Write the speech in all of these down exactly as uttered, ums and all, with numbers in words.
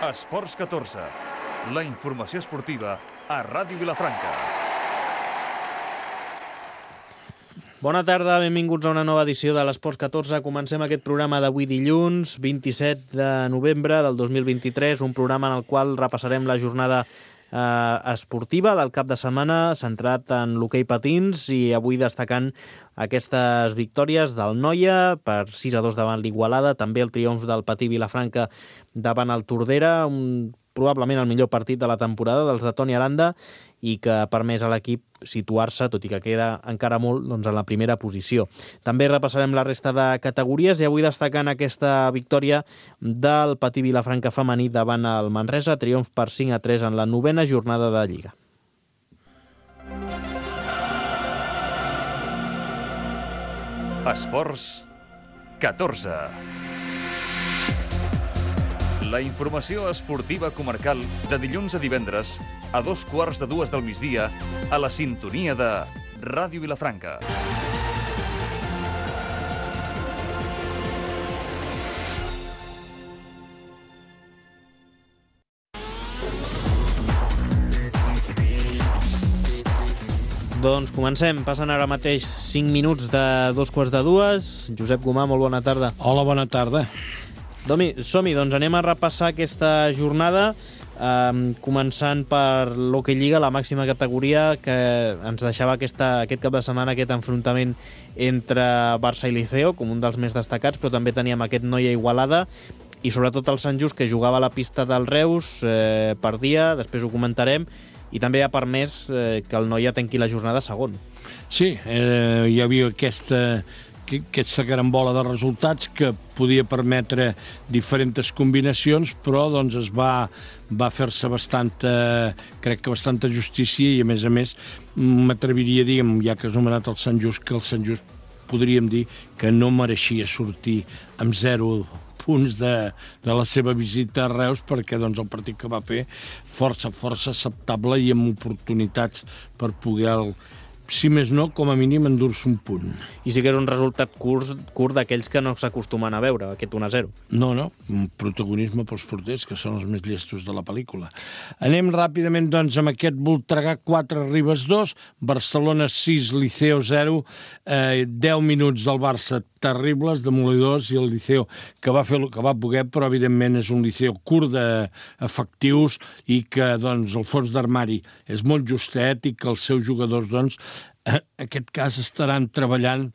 Esports catorze, la informació esportiva a Ràdio Vilafranca. Bona tarda, benvinguts a una nova edició de l'Esports catorze. Comencem aquest programa d'avui dilluns, vint-i-set de novembre del dos mil vint-i-tres, un programa en el qual repassarem la jornada eh, esportiva del cap de setmana, centrat en l'hoquei patins i avui destacant aquestes victòries del Noia per sis a dos davant l'Igualada, també el triomf del Patí Vilafranca davant el Tordera, un, probablement el millor partit de la temporada dels de Toni Aranda i que ha permès a l'equip situar-se, tot i que queda encara molt, doncs, en la primera posició. També repassarem la resta de categories i avui destacant aquesta victòria del Patí Vilafranca femení davant el Manresa, triomf per cinc a tres en la novena jornada de Lliga. Esports catorze. La informació esportiva comarcal de dilluns a divendres a dos quarts de dues del migdia a la sintonia de Ràdio Vilafranca. Doncs comencem. Passen ara mateix cinc minuts de dos quarts de dues. Josep Gomà, molt bona tarda. Hola, bona tarda. Som-hi, doncs anem a repassar aquesta jornada, eh, començant per l'Hockey Lliga, la màxima categoria, que ens deixava aquesta, aquest cap de setmana aquest enfrontament entre Barça i Liceo, com un dels més destacats, però també teníem aquest Noia Igualada, i sobretot el Sant Just, que jugava a la pista del Reus, eh, perdia, després ho comentarem, i també ha permès eh, que el Noia tanqui la jornada segon. Sí, eh, hi havia aquesta, aquesta carambola de resultats que podia permetre diferents combinacions, però doncs es va, va fer-se bastanta, crec que bastanta justícia i, a més a més, m'atreviria a dir, ja que has nomenat el Sant Just, que el Sant Just podríem dir que no mereixia sortir amb zero punts de, de la seva visita a Reus, perquè doncs, el partit que va fer força, força acceptable i amb oportunitats per poder, el, si més no, com a mínim endur-se un punt. I sí que és un resultat curt, curt d'aquells que no s'acostumen a veure, aquest un a zero. No, no, un protagonisme pels porters, que són els més llestos de la pel·lícula. Anem ràpidament, doncs, amb aquest Voltregà quatre, Ribes dos, Barcelona sis, Liceo zero, eh, deu minuts del Barça terribles, demolidors, i el Liceo que va fer el que va poder, però evidentment és un Liceo curt d'efectius i que doncs, el fons d'armari és molt justet i que els seus jugadors, doncs, en aquest cas estaran treballant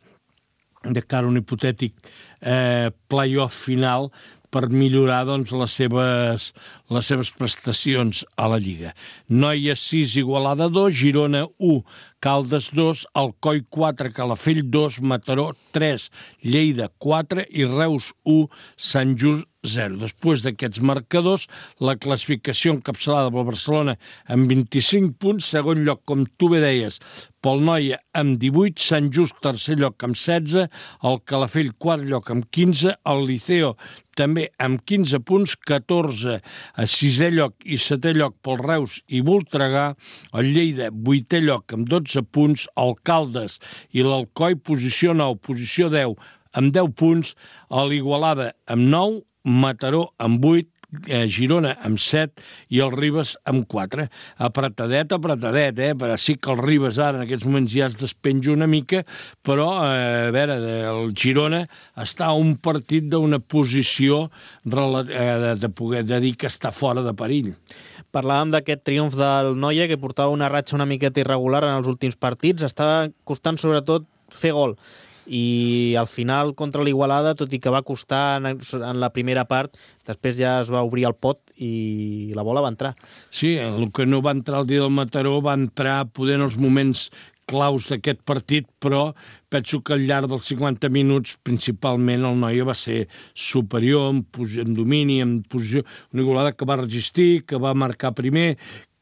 de cara a un hipotètic eh, play-off final per millorar doncs, les, seves, les seves prestacions a la Lliga. Noia sis, Igualada dos, Girona u, Caldes dos, Alcoi quatre, Calafell dos, Mataró tres, Lleida quatre i Reus u, Sant Just zero. Després d'aquests marcadors, la classificació encapçalada pel Barcelona amb vint-i-cinc punts, segon lloc, com tu bé deies, pel Noia amb divuit, Sant Just tercer lloc amb setze, el Calafell quart lloc amb quinze, el Liceo també amb quinze punts, catorze a sisè lloc i setè lloc pel Reus i Voltregà, el Lleida vuitè lloc amb dotze punts, el Caldes i l'Alcoi posició nou, posició deu amb deu punts, l'Igualada amb nou, Mataró amb vuit, eh, Girona amb set i el Ribes amb quatre. Apretadet, apretadet, eh? Però sí que el Ribes ara en aquests moments ja es despenja una mica, però eh, a veure, el Girona està a un partit d'una posició eh, de poder de dir que està fora de perill. Parlàvem d'aquest triomf del Noia, que portava una ratxa una miqueta irregular en els últims partits. Estava costant sobretot fer gol. I al final contra l'Igualada, tot i que va costar en, en la primera part, després ja es va obrir el pot i la bola va entrar. Sí, el que no va entrar el dia del Mataró va entrar poder en els moments claus d'aquest partit, però penso que al llarg dels cinquanta minuts principalment el Noia va ser superior en, en domini, en posició, una Igualada que va resistir, que va marcar primer.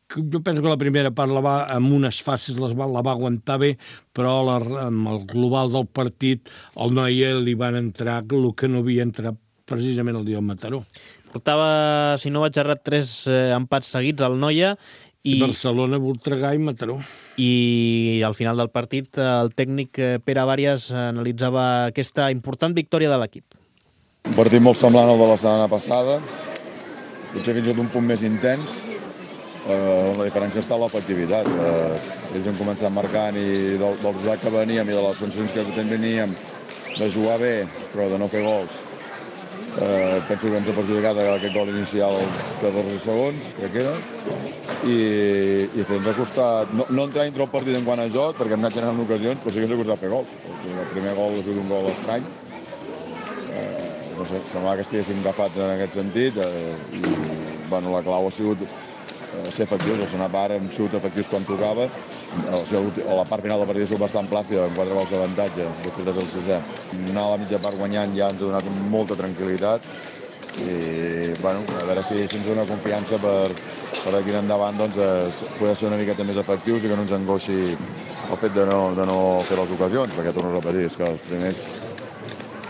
Jo penso que la primera part la va, amb unes fases les va, la va aguantar bé, però la, amb el global del partit el Noia li van entrar el que no havia entrat precisament el dia del Mataró. Portava, si no vaig errat, tres eh, empats seguits al Noia. I Barcelona, Voltregà i Mataró. I al final del partit el tècnic Pere Vàries analitzava aquesta important victòria de l'equip. Un partit molt semblant al de la setmana passada. potser fins i tot un punt més intens, eh, la diferència està en l'efectivitat. Eh, ells han començat marcant i del, del resultat que veníem i de les sensacions que teníem de jugar bé, però de no fer gols. Eh, penso que ens ha perjudicat aquest gol inicial catorze segons, crec que era, i, i després ens ha costat no, no entrar dintre el partit en quant a joc, perquè hem anat generant ocasions, però sí que ens ha costat fer gols. El primer gol ha sigut un gol estrany. Eh, no sé, semblava que estiguéssim agafats en aquest sentit, eh, i bueno, la clau ha sigut eh, ser efectius. El segon part hem sigut efectius quan tocava. O sigui, a la part final del partit ha sigut bastant plàcida, amb quatre gols d'avantatge, després de fer el sisè. Anar a la mitja part guanyant ja ens ha donat molta tranquil·litat i bueno, a veure si, si ens dona confiança per, per aquí en endavant doncs, eh, poder ser una miqueta més efectius i que no ens angoixi el fet de no, de no fer les ocasions, perquè torno a repetir, és que els primers...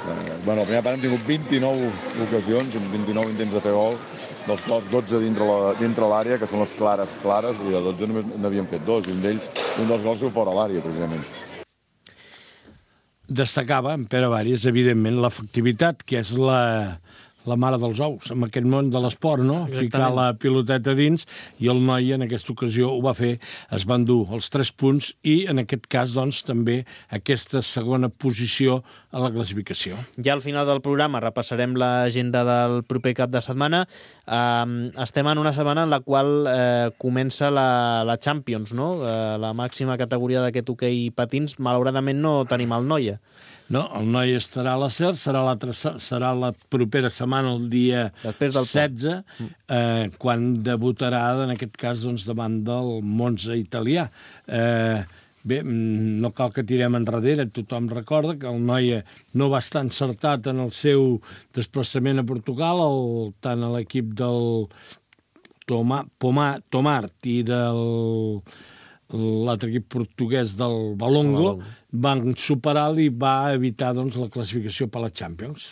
Eh, bueno, el primer part hem tingut vint-i-nou ocasions, vint-i-nou intents de fer gol, dels quals dotze dintre la, dintre l'àrea, que són les clares, clares, i de dotze només n'havíem fet dos, i un d'ells, un dels gols fora l'àrea, precisament. Destacava, en Pere Varis, evidentment, l'efectivitat, que és la, la mare dels ous, en aquest món de l'esport, no? Exactament. Ficar la piloteta dins, i el noi en aquesta ocasió ho va fer, es van dur els tres punts, i en aquest cas, doncs, també aquesta segona posició a la classificació. Ja al final del programa repassarem l'agenda del proper cap de setmana. Um, estem en una setmana en la qual eh, comença la, la Champions, no? Eh, la màxima categoria d'aquest hoquei patins. Malauradament no tenim el Noia. No, el noi estarà a la SER, serà, serà la propera setmana, el dia setze, eh, quan debutarà, en aquest cas, doncs, davant del Monza italià. Eh, bé, no cal que tirem enrere, tothom recorda que el noi no va estar encertat en el seu desplaçament a Portugal, el, tant a l'equip del Toma, Pomar, Tomart i del... l'altre equip portuguès del Valongo, van superar-lo i va evitar doncs, la classificació per la Champions.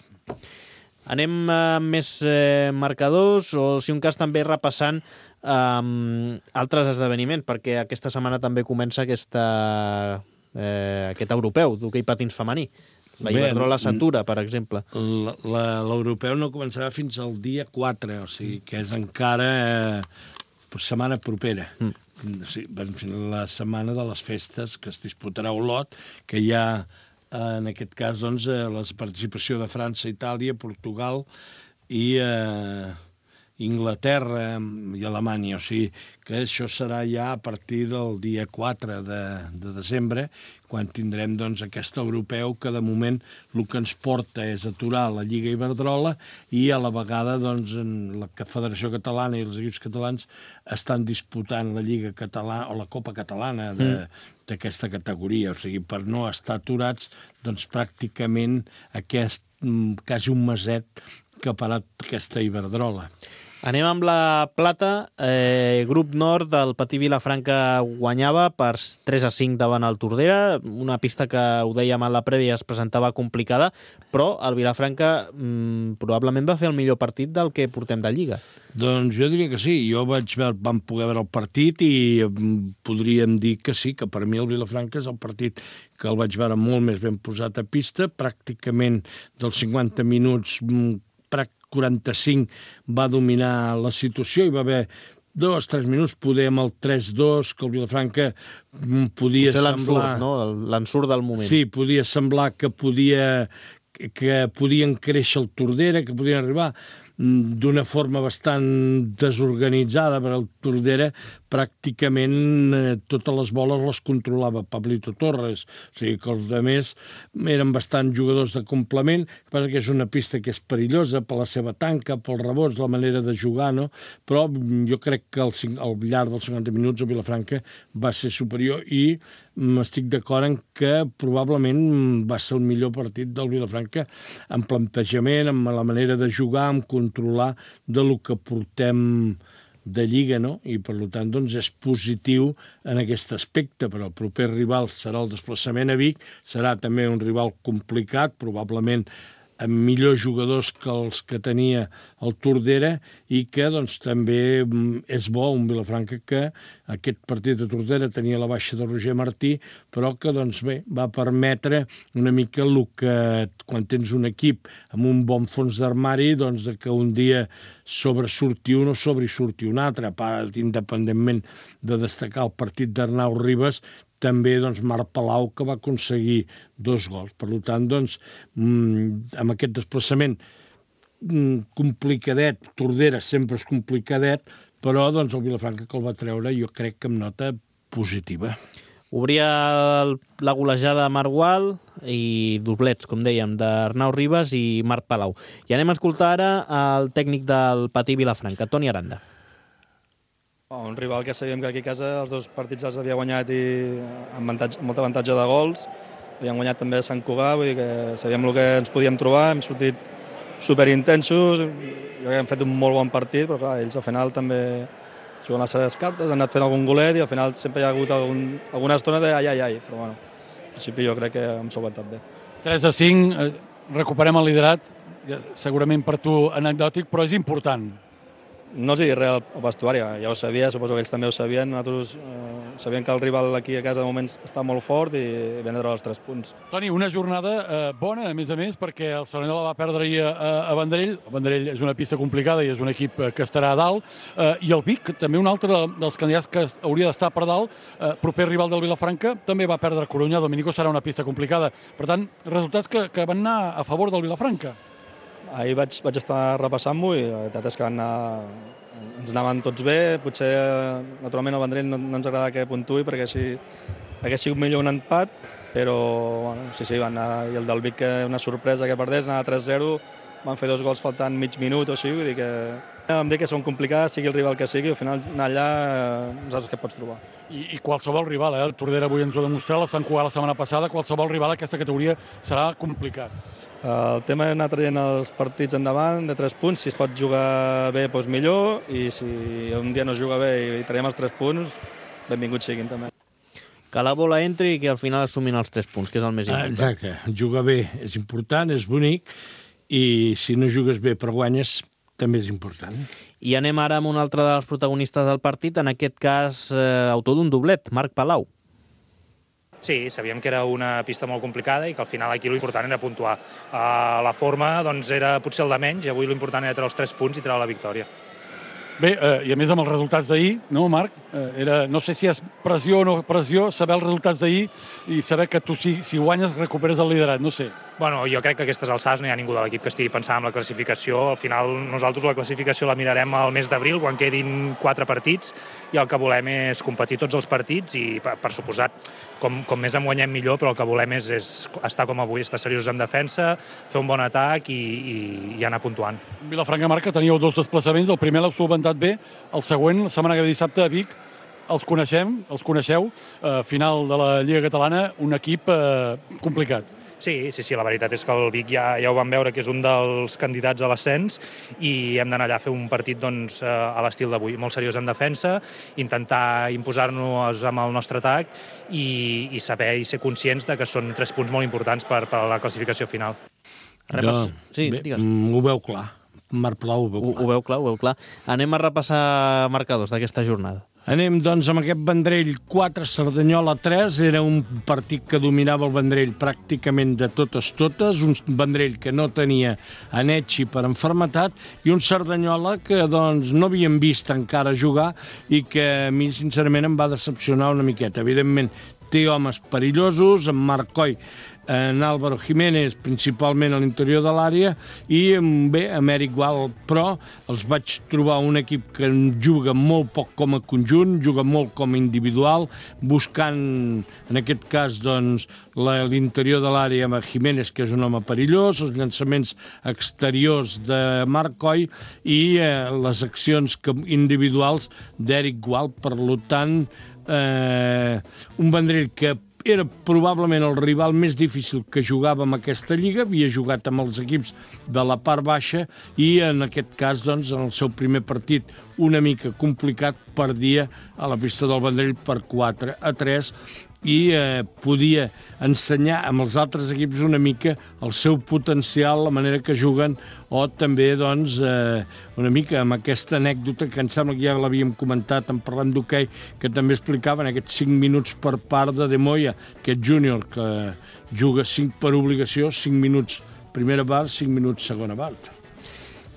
Anem a més eh, marcadors, o si un cas també repassant eh, altres esdeveniments, perquè aquesta setmana també comença aquesta, eh, aquest europeu d'hoquei patins femení. La Iberdrola s'atura, per exemple. L'europeu no començarà fins al dia quatre, o sigui que és encara eh, setmana propera. Mm. Sí, la setmana de les festes que es disputarà a Olot, que hi ha, en aquest cas, doncs, la participació de França, Itàlia, Portugal i eh, Inglaterra i Alemanya. O sigui que això serà ja a partir del dia quatre de, de desembre, quan tindrem doncs, aquest europeu que de moment el que ens porta és aturar la Lliga Iberdrola i a la vegada doncs, la Federació Catalana i els equips catalans estan disputant la Lliga Catalana o la Copa Catalana d'aquesta mm. categoria. O sigui, per no estar aturats, doncs pràcticament aquest quasi un meset que ha parat aquesta Iberdrola. Anem amb la plata. Eh, grup Nord del Patí Vilafranca guanyava per tres a cinc davant el Tordera, una pista que, ho dèiem a la prèvia, es presentava complicada, però el Vilafranca mm, probablement va fer el millor partit del que portem de Lliga. Doncs jo diria que sí. Jo vaig veure, vam poder veure el partit i podríem dir que sí, que per mi el Vilafranca és el partit que el vaig veure molt més ben posat a pista, pràcticament dels cinquanta minuts quaranta-cinc va dominar la situació, hi va haver dos, tres minuts, poder amb el tres dos, que el Vilafranca podia potser semblar... l'ensurt, no? L'ensurt del moment. Sí, podia semblar que podia que podien créixer el Tordera, que podien arribar d'una forma bastant desorganitzada, per el Tordera pràcticament eh, totes les boles les controlava Pablito Torres, o sigui que els altres eren bastant jugadors de complement, que és una pista que és perillosa per la seva tanca, pels rebots, la manera de jugar, no? Però jo crec que al, al llarg dels cinquanta minuts el Vilafranca va ser superior i estic d'acord en que probablement va ser el millor partit del Vilafranca en plantejament, amb la manera de jugar, amb controlar de lo que portem de Lliga, no? I per tant doncs, és positiu en aquest aspecte, però el proper rival serà el desplaçament a Vic, serà també un rival complicat, probablement amb millors jugadors que els que tenia el Tordera i que doncs, també és bo un Vilafranca que aquest partit de Tordera tenia la baixa de Roger Martí, però que doncs, bé, va permetre una mica el que quan tens un equip amb un bon fons d'armari, doncs, que un dia sobresurti un o sobresurti un altre, independentment de destacar el partit d'Arnau Ribas, també doncs, Marc Palau, que va aconseguir dos gols. Per tant, doncs, amb aquest desplaçament complicadet, Tordera sempre és complicadet, però doncs, el Vilafranca que el va treure jo crec que amb nota positiva. Obria la golejada Margual i doblets, com dèiem, d'Arnau Ribas i Marc Palau. I anem a escoltar ara el tècnic del Patí Vilafranca, Toni Aranda. Un rival que sabíem que aquí a casa els dos partits els havia guanyat i amb, avantatge, amb molt avantatge de gols. Havíem guanyat també a Sant Cugat, vull dir que sabíem el que ens podíem trobar, hem sortit superintensos, jo crec que hem fet un molt bon partit, però clar, ells al final també juguen les seves cartes, han anat fent algun golet i al final sempre hi ha hagut algun, alguna estona de ai, ai, ai, però bueno, en principi jo crec que hem solventat bé. tres a cinc, recuperem el liderat, segurament per tu anecdòtic, però és important. No els hi dic res al vestuari, ja ho sabia, suposo que ells també ho sabien. Nosaltres eh, sabíem que el rival aquí a casa de moments està molt fort i vam treure els tres punts. Toni, una jornada eh, bona, a més a més, perquè el Cerdanyola va perdre ahir a, a Vendrell. El Vendrell és una pista complicada i és un equip que estarà a dalt. Eh, I el Vic, també un altre dels candidats que hauria d'estar per dalt, eh, proper rival del Vilafranca, també va perdre a Corunya. Dominico serà una pista complicada. Per tant, resultats que, que van anar a favor del Vilafranca. Ahir vaig, vaig estar repassant-m'ho i la veritat és que van anar, ens anaven tots bé. Potser, naturalment, el Vendrell no, no ens agrada que puntuï perquè així hagués sigut millor un empat, però bueno, sí, sí, van anar. I el del Vic, una sorpresa que perdés, anava tres zero, van fer dos gols faltant mig minut o així, vull dir que vam dir que són complicades, sigui el rival que sigui, al final anar allà no saps què pots trobar. I, i qualsevol rival, eh? El Tordera avui ens ho ha demostrat, el Sant Cugat la setmana passada, qualsevol rival a aquesta categoria serà complicat. El tema és anar traient els partits endavant de tres punts, si es pot jugar bé, doncs millor, i si un dia no es juga bé i traiem els tres punts, benvinguts siguin també. Que la bola entri i que al final assumin els tres punts, que és el més important. Exacte, jugar bé és important, és bonic, i si no jugues bé però guanyes, també és important. I anem ara amb un altre dels protagonistes del partit, en aquest cas, eh, autor d'un doblet, Marc Palau. Sí, sabíem que era una pista molt complicada i que al final aquí l'important era puntuar. Uh, la forma doncs, era potser el de menys i avui l'important era treure els tres punts i treure la victòria. Bé, eh, i a més amb els resultats d'ahir, no, Marc? Eh, era, no sé si és pressió o no pressió, saber els resultats d'ahir i saber que tu si, si guanyes recuperes el liderat, no sé. Bueno, jo crec que a aquestes alçades no hi ha ningú de l'equip que estigui pensant en la classificació. Al final nosaltres la classificació la mirarem al mes d'abril, quan quedin quatre partits, i el que volem és competir tots els partits i, per, per suposat, com, com més en guanyem millor, però el que volem és, és estar com avui, estar seriosos en defensa, fer un bon atac i, i, i anar puntuant. Vilafranca, Marc, que teníeu dos desplaçaments, el primer l'heu solventat bé, el següent, la setmana que ve dissabte a Vic, els coneixem, els coneixeu, eh, final de la Lliga Catalana, un equip eh, complicat. Sí, sí, sí, la veritat és que el Vic ja, ja ho vam veure que és un dels candidats a l'ascens i hem d'anar allà a fer un partit doncs, a l'estil d'avui, molt seriós en defensa, intentar imposar-nos amb el nostre atac i, i saber i ser conscients de que són tres punts molt importants per, per a la classificació final. Repass... No, sí, bé, digues. Ho veu clar. Marc Palau ho veu clar. Ho, ho veu clar, ho veu clar. Anem a repassar marcadors d'aquesta jornada. Anem, doncs, amb aquest Vendrell quatre, Cerdanyola tres. Era un partit que dominava el Vendrell pràcticament de totes totes. Un Vendrell que no tenia Anetxi per enfermetat i un Cerdanyola que, doncs, no havíem vist encara jugar i que a mi, sincerament, em va decepcionar una miqueta. Evidentment, té homes perillosos, en Marc Coll, en Álvaro Jiménez, principalment a l'interior de l'àrea, i bé, amb Eric Gual, però els vaig trobar un equip que juga molt poc com a conjunt, juga molt com a individual, buscant, en aquest cas, doncs, l'interior de l'àrea amb Jiménez, que és un home perillós, els llançaments exteriors de Marc Coll i eh, les accions individuals d'Eric Gual. Per tant, eh, un Vendrell que era probablement el rival més difícil que jugava amb aquesta lliga, havia jugat amb els equips de la part baixa i en aquest cas, doncs, en el seu primer partit una mica complicat, perdia a la pista del Vendrell per quatre a tres i eh, podia ensenyar amb els altres equips una mica el seu potencial, la manera que juguen, o també doncs, eh, una mica amb aquesta anècdota que em sembla que ja l'havíem comentat en parlant d'hoquei, que també explicaven aquests cinc minuts per part de De Moya, aquest júnior que juga cinc per obligació, cinc minuts primera part, cinc minuts segona part.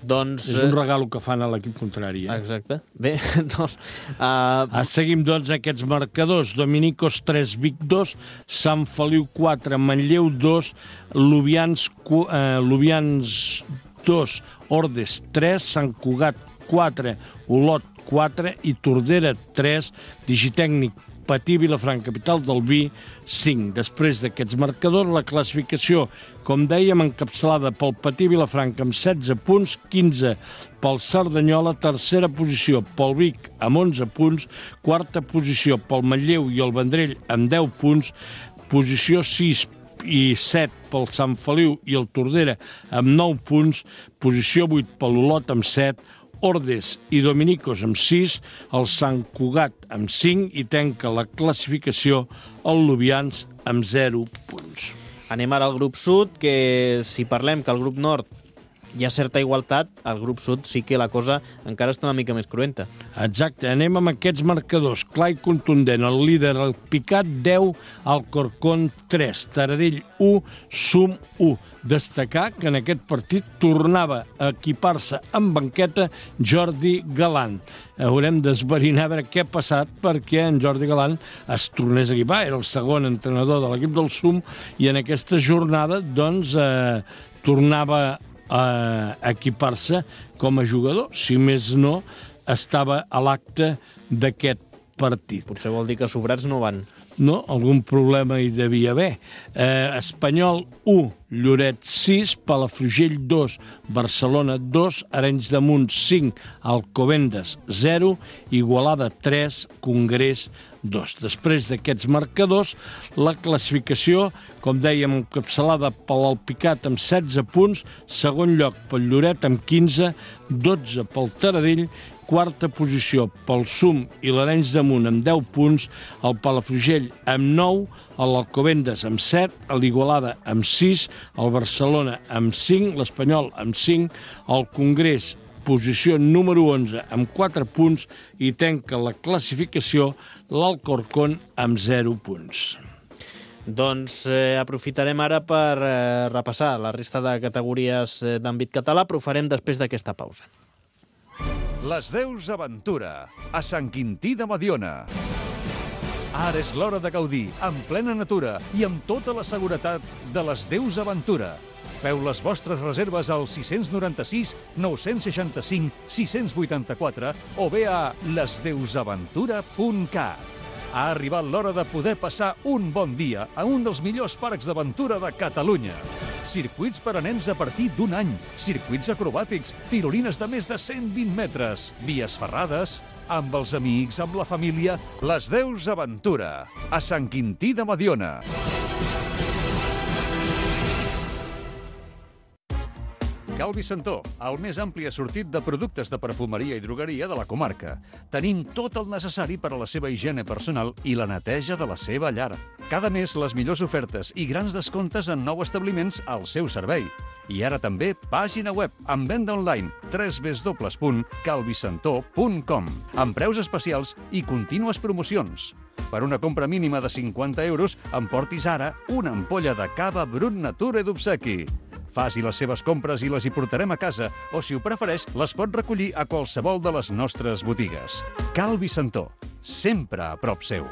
Doncs, és un regalo que fan a l'equip contrari. Eh? Exacte. Bé, doncs... Uh... Ah, seguim, doncs, aquests marcadors. Dominicos tres, Vic dos, Sant Feliu quatre, Manlleu dos, Lubians, uh, Lubians dos, Ordes tres, Sant Cugat quatre, Olot quatre i Tordera tres, Digitècnic Patí Vilafranca, capital del vi, cinc. Després d'aquests marcadors, la classificació, com dèiem, encapçalada pel Patí Vilafranca amb setze punts, quinze pel Cerdanyola, tercera posició pel Vic amb onze punts, quarta posició pel Manlleu i el Vendrell amb deu punts, posició sis i set pel Sant Feliu i el Tordera amb nou punts, posició vuit per l'Olot amb set, Ordes i Dominicos amb sis, el Sant Cugat amb cinc i tanca la classificació el Lubians amb zero punts. Anem ara al grup sud, que si parlem que al grup nord hi ha certa igualtat, al grup sud sí que la cosa encara està una mica més cruenta. Exacte, anem amb aquests marcadors. Clar i contundent, el líder, el Picat, deu, Alcorcón, tres, Taradell, u, Sum, u. Destacar que en aquest partit tornava a equipar-se en banqueta Jordi Galant. Haurem d'esverinar a veure què ha passat perquè en Jordi Galant es tornés a equipar. Era el segon entrenador de l'equip del Sum i en aquesta jornada doncs eh, tornava a equipar-se com a jugador. Si més no, estava a l'acte d'aquest partit. Potser vol dir que sobrats no van. No, algun problema hi devia haver. Eh, Espanyol u, Lloret sis, Palafrugell dos, Barcelona dos, Arenys de Munt cinc, Alcobendas zero, Igualada tres, Congrés dos. Després d'aquests marcadors, la classificació, com dèiem, encapçalada pel Alpicat amb setze punts, segon lloc pel Lloret amb quinze, dotze pel Taradell, quarta posició pel Sum i l'Arenys de Munt amb deu punts, el Palafrugell amb nou, l'Alcobendas amb set, l'Igualada amb sis, el Barcelona amb cinc, l'Espanyol amb cinc, el Congrés, posició número onze, amb quatre punts i tanca la classificació l'Alcorcón amb zero punts. Doncs eh, aprofitarem ara per eh, repassar la resta de categories eh, d'àmbit català, però ho farem després d'aquesta pausa. Les Deus Aventura, a Sant Quintí de Mediona. Ara és l'hora de gaudir, en plena natura i amb tota la seguretat de les Deus Aventura. Feu les vostres reserves al sis nou sis, nou sis cinc, sis vuit quatre o bé a les deus aventura punt cat. Ha arribat l'hora de poder passar un bon dia a un dels millors parcs d'aventura de Catalunya. Circuits per a nens a partir d'un any, circuits acrobàtics, tirolines de més de cent vint metres, vies ferrades, amb els amics, amb la família, les Deus Aventura, a Sant Quintí de Mediona. Calvi Santó, el més ampli assortit de productes de perfumeria i drogueria de la comarca. Tenim tot el necessari per a la seva higiene personal i la neteja de la seva llar. Cada mes les millors ofertes i grans descomptes en nous establiments al seu servei. I ara també pàgina web amb venda online w w w punt calvisantó punt com amb preus especials i contínues promocions. Per una compra mínima de cinquanta euros, emportis ara una ampolla de cava Brut Nature d'obsequi. Faci les seves compres i les hi portarem a casa, o si ho prefereix, les pot recollir a qualsevol de les nostres botigues. Calvi Santó, sempre a prop seu.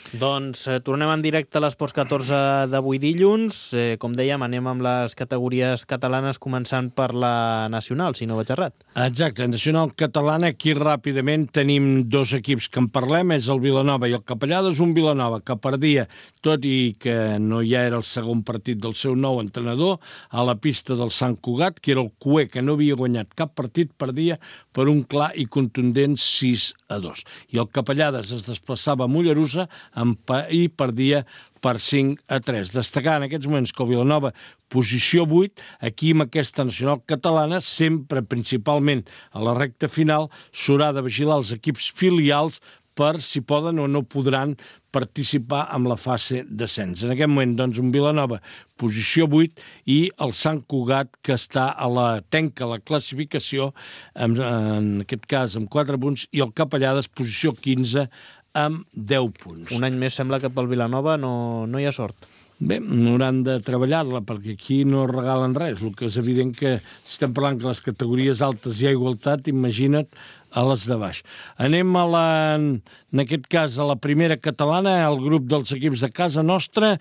Doncs eh, tornem en directe a l'Esports catorze d'avui dilluns. Eh, com dèiem, anem amb les categories catalanes, començant per la nacional, si no vaig errat. Exacte, en nacional catalana, aquí ràpidament tenim dos equips que en parlem, és el Vilanova i el Capellades. Un Vilanova que perdia, tot i que no ja era el segon partit del seu nou entrenador, a la pista del Sant Cugat, que era el cué que no havia guanyat cap partit, perdia per un clar i contundent sis a dos. I el Capellades es desplaçava a Mollerussa i perdia per cinc a tres. Destacar en aquests moments que el Vilanova, posició vuit, aquí amb aquesta nacional catalana, sempre principalment a la recta final, s'haurà de vigilar els equips filials per si poden o no podran participar en la fase d'ascens. En aquest moment, doncs, un Vilanova, posició vuit, i el Sant Cugat, que està a la tenca la classificació, en, en aquest cas amb quatre punts, i el Capellades, posició quinze, amb deu punts. Un any més sembla que pel Vilanova no, no hi ha sort. Bé, no hauran de treballar-la, perquè aquí no regalen res. El que és evident que si estem parlant que les categories altes hi ha igualtat, imagina't a les de baix. Anem a la, en aquest cas, a la primera catalana, el grup dels equips de casa nostra,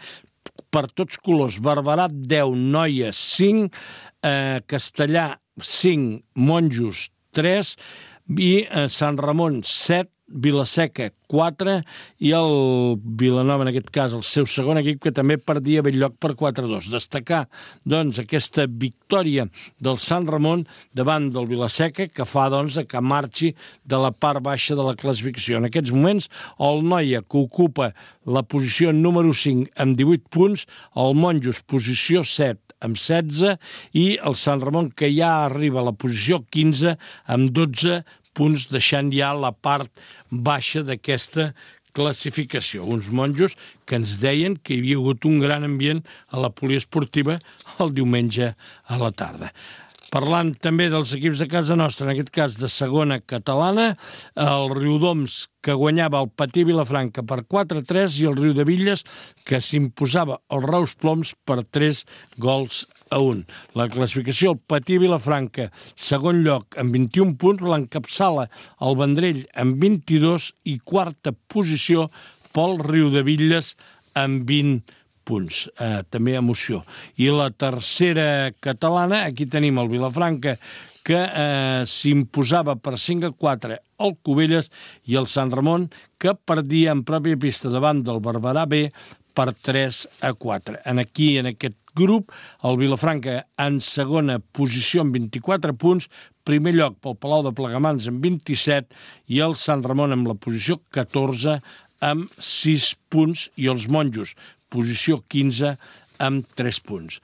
per tots colors. Barberà, deu, Noia, cinc, eh, Castellà, cinc, Monjos, tres, i eh, Sant Ramon, set, Vilaseca, quatre, i el Vilanova, en aquest cas, el seu segon equip, que també perdia Belllloc per quatre a dos. Destacar, doncs, aquesta victòria del Sant Ramon davant del Vilaseca, que fa, doncs, que marxi de la part baixa de la classificació. En aquests moments, el Noia, que ocupa la posició número cinc amb divuit punts, el Monjos, posició set, amb setze, i el Sant Ramon, que ja arriba a la posició quinze, amb dotze punts, deixant ja la part baixa d'aquesta classificació. Uns monjos que ens deien que hi havia hagut un gran ambient a la poliesportiva el diumenge a la tarda. Parlant també dels equips de casa nostra, en aquest cas de segona catalana, el Riudoms, que guanyava el Patí Vilafranca per quatre a tres, i el Riudevilles, que s'imposava el Reus Ploms per tres gols a un. La classificació, el Patí Vilafranca, segon lloc amb vint-i-un punts, l'encapçala el Vendrell amb vint-i-dos, i quarta posició pel Riudevilles amb vint punts. Eh, també emoció. I la tercera catalana, aquí tenim el Vilafranca, que eh, s'imposava per cinc a quatre al Cubelles, i el Sant Ramon, que perdia en pròpia pista davant del Barberà B per tres a quatre. En aquí, en aquest grup, el Vilafranca en segona posició amb vint-i-quatre punts, primer lloc pel Palau de Plegamans amb vint-i-set, i el Sant Ramon amb la posició catorze amb sis punts, i els Monjos, posició quinze, amb tres punts.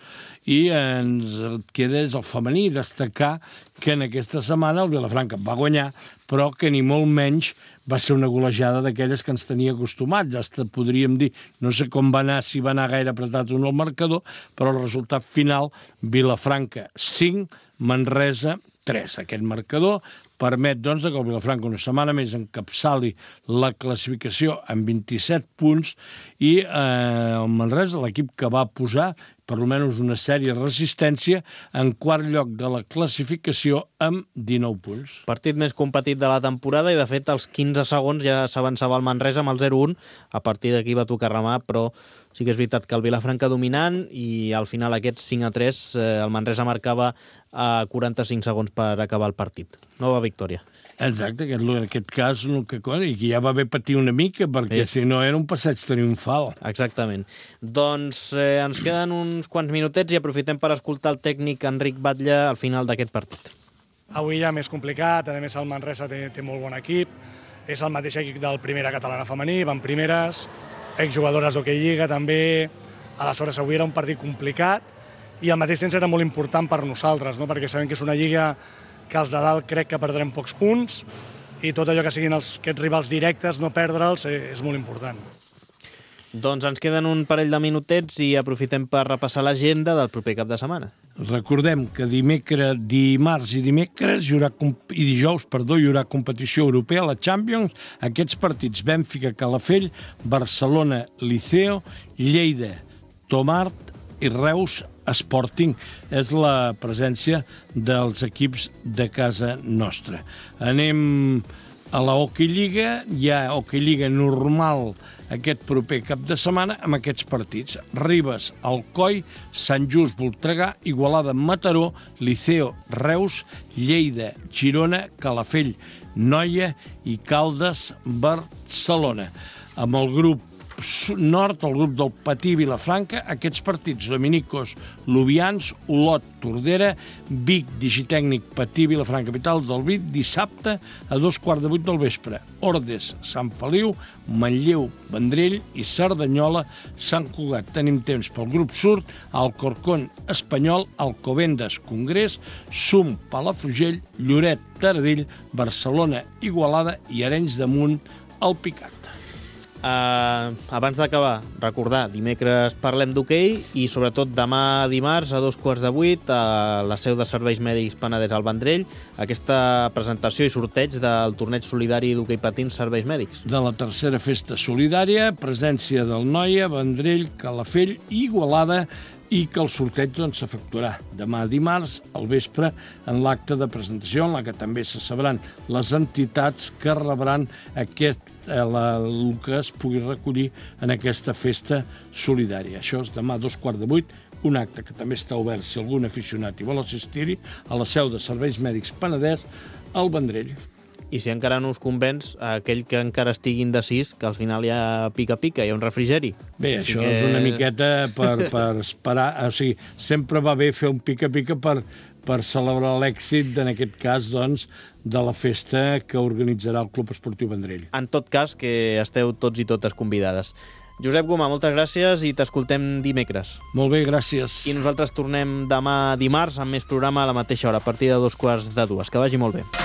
I ens queda és el femení, destacar que en aquesta setmana el Vilafranca va guanyar, però que ni molt menys va ser una golejada d'aquelles que ens tenia acostumats. Hasta podríem dir, no sé com va anar, si va anar gaire apretat o no el marcador, però el resultat final, Vilafranca cinc, Manresa tres. Aquest marcador permet, doncs, que el Vilafranca una setmana més encapçali la classificació amb vint-i-set punts, i eh, el Manresa, l'equip que va posar per almenys una sèrie de resistència, en quart lloc de la classificació amb dinou punts. Partit més competit de la temporada, i de fet als quinze segons ja s'avançava el Manresa amb el zero a un. A partir d'aquí va tocar remar, però sí que és veritat que el Vilafranca dominant, i al final aquests cinc a tres eh, el Manresa marcava a quaranta-cinc segons per acabar el partit. Nova victòria. Exacte, aquest, en aquest cas, el que, i que ja va haver patir una mica, perquè sí, si no era un passeig triomfal. Exactament. Doncs eh, ens queden uns quants minutets i aprofitem per escoltar el tècnic Enric Batlle al final d'aquest partit. Avui ja més complicat, a més el Manresa té, té molt bon equip, és el mateix equip del Primera Catalana Femení, van primeres, exjugadores d'Hockey Lliga també, aleshores avui era un partit complicat, i al mateix temps era molt important per nosaltres, no? Perquè sabem que és una lliga que els de dalt crec que perdrem pocs punts, i tot allò que siguin els, aquests rivals directes, no perdre'ls, és molt important. Doncs ens queden un parell de minutets i aprofitem per repassar l'agenda del proper cap de setmana. Recordem que dimecres, dimarts i dimecres hi haurà, i dijous, perdó, hi haurà competició europea, la Champions, aquests partits: Bènfica, Calafell, Barcelona, Liceo, Lleida, Tomart i Reus, Sporting. És la presència dels equips de casa nostra. Anem a la Hockey Lliga. Hi ha Hockey Lliga normal aquest proper cap de setmana amb aquests partits: Ribes, Alcoi, Sant Just, Voltregà, Igualada, Mataró, Liceo, Reus, Lleida, Girona, Calafell, Noia i Caldes, Barcelona. Amb el grup nord, el grup del Patí Vilafranca, aquests partits: Dominicos, Lubians, Olot, Tordera, Vic, Digitècnic, Patí Vilafranca, Capital del Vic, dissabte a dos quarts de vuit del vespre. Ordes, Sant Feliu, Manlleu, Vendrell i Cerdanyola, Sant Cugat. Tenim temps pel grup sud: Alcorcón, Espanyol, Alcobendas, Congrés, Sum, Palafrugell, Lloret, Taradell, Barcelona, Igualada i Arenys de Munt, al Picat. Uh, abans d'acabar, recordar, dimecres parlem d'hoquei i sobretot demà dimarts a dos quarts de vuit a la seu de Serveis Mèdics Penedès al Vendrell, aquesta presentació i sorteig del torneig solidari d'hoquei patins Serveis Mèdics. De la tercera festa solidària, presència del Noia, Vendrell, Calafell i Igualada, i que el sorteig doncs, s'efectuarà demà dimarts al vespre en l'acte de presentació en la que també se sabran les entitats que rebran aquest, eh, la, el que es pugui recollir en aquesta festa solidària. Això és demà a dos quarts de vuit, un acte que també està obert si algun aficionat hi vol assistir-hi a la seu de Serveis Mèdics Penedès al Vendrell. I si encara no us convenç, aquell que encara estigui indecis, que al final hi ha pica-pica, hi ha un refrigeri. Bé, Així això que... és una miqueta per, per esperar... O sigui, sempre va bé fer un pica-pica per, per celebrar l'èxit, en aquest cas, doncs, de la festa que organitzarà el Club Esportiu Vendrell. En tot cas, que esteu tots i totes convidades. Josep Gomà, moltes gràcies i t'escoltem dimecres. Molt bé, gràcies. I nosaltres tornem demà dimarts amb més programa a la mateixa hora, a partir de dos quarts de dues. Que vagi molt bé.